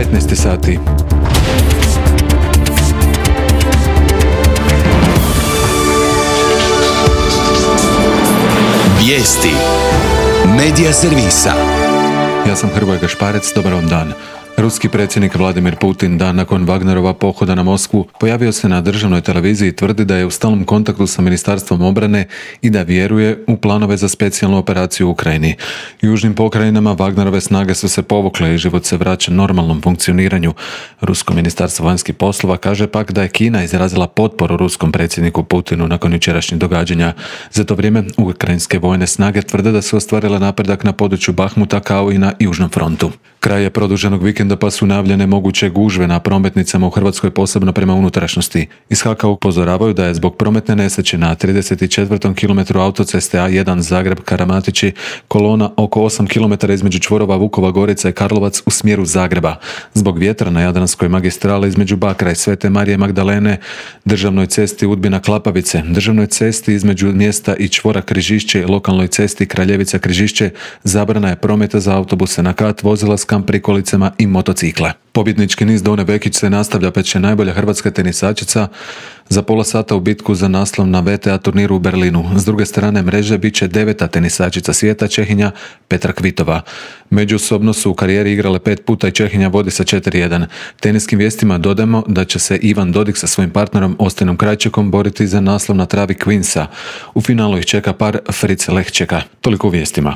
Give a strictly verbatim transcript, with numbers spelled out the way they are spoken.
petnaest sati. Vijesti Medija servisa. Ja sam Hrvoje Gašparec, dobar vam dan. Ruski predsjednik Vladimir Putin dan nakon Wagnerova pohoda na Moskvu pojavio se na državnoj televiziji i tvrdi da je u stalnom kontaktu sa Ministarstvom obrane i da vjeruje u planove za specijalnu operaciju u Ukrajini. U južnim pokrajinama Wagnerove snage su se povukle i život se vraća normalnom funkcioniranju. Rusko ministarstvo vanjskih poslova kaže pak da je Kina izrazila potporu ruskom predsjedniku Putinu nakon jučerašnjih događanja. Za to vrijeme ukrajinske vojne snage tvrde da su ostvarile napredak na području Bahmuta kao i na južnom frontu. Kraj je produženog vikenda pa su najavljene moguće gužve na prometnicama u Hrvatskoj, posebno prema unutrašnjosti. Iz H A K-a upozoravaju da je zbog prometne nesreće na trideset četvrtom kilometru autoceste A jedan Zagreb-Karamatići kolona oko osam kilometara između čvorova Vukova Gorica i Karlovac u smjeru Zagreba. Zbog vjetra na Jadranskoj magistrali između Bakra i Svete Marije Magdalene, državnoj cesti Udbina-Klapavice, državnoj cesti između mjesta i čvora Križišće i lokalnoj cesti Kraljevica-Križišće zabrana je prometa za autobuse na kat, vozila s kamp prikolicama i motocikle. Pobjednički niz Done Vekić se nastavlja, pa će najbolja hrvatska tenisačica za pola sata u bitku za naslov na V T A turniru u Berlinu. S druge strane mreže bit će deveta tenisačica svijeta, Čehinja Petra Kvitova. Međusobno su u karijeri igrale pet puta i Čehinja vodi sa četiri jedan. Teniskim vijestima dodajemo da će se Ivan Dodig sa svojim partnerom Ostinom Krajčikom boriti za naslov na travi Queensa. U finalu ih čeka par Fritz Lehčeka. Toliko u vijestima.